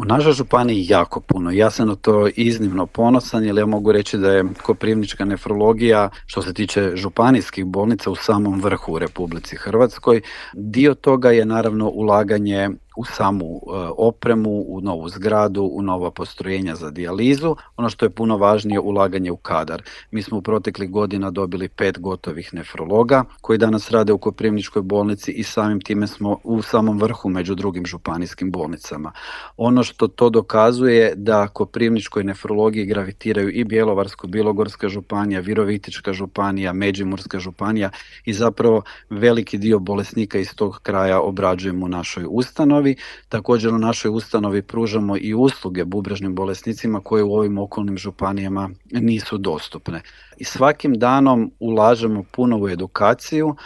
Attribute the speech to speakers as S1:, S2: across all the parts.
S1: U našoj županiji jako puno. Ja sam na to iznimno ponosan jer ja mogu reći da je koprivnička nefrologija što se tiče županijskih bolnica u samom vrhu u Republici Hrvatskoj. Dio toga je naravno ulaganje u samu opremu, u novu zgradu, u nova postrojenja za dijalizu. Ono što je puno važnije, ulaganje u kadar. Mi smo u proteklih godina dobili 5 gotovih nefrologa koji danas rade u Koprivničkoj bolnici i samim time smo u samom vrhu među drugim županijskim bolnicama. Ono što to dokazuje da Koprivničkoj nefrologiji gravitiraju i Bjelovarsko-bilogorska županija, Virovitička županija, Međimurska županija i zapravo veliki dio bolesnika iz tog kraja obrađujemo u našoj ustanovi. Također u našoj ustanovi pružamo i usluge bubrežnim bolesnicima koje u ovim okolnim županijama nisu dostupne. I svakim danom ulažemo puno u edukaciju,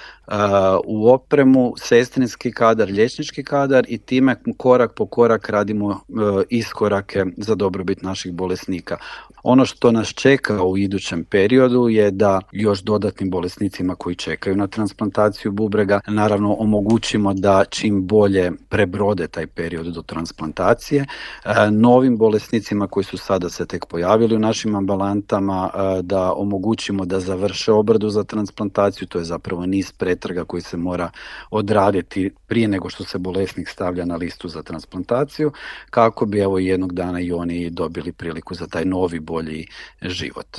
S1: u opremu, sestrinski kadar, liječnički kadar i time korak po korak radimo iskorake za dobrobit naših bolesnika. Ono što nas čeka u idućem periodu je da još dodatnim bolesnicima koji čekaju na transplantaciju bubrega naravno omogućimo da čim bolje prebrode taj period do transplantacije. Novim bolesnicima koji su sada se tek pojavili u našim ambulantama da omogućimo da završe obradu za transplantaciju, to je zapravo niz pretraga koji se mora odraditi prije nego što se bolesnik stavlja na listu za transplantaciju, kako bi jednog dana i oni dobili priliku za taj novi bolji život.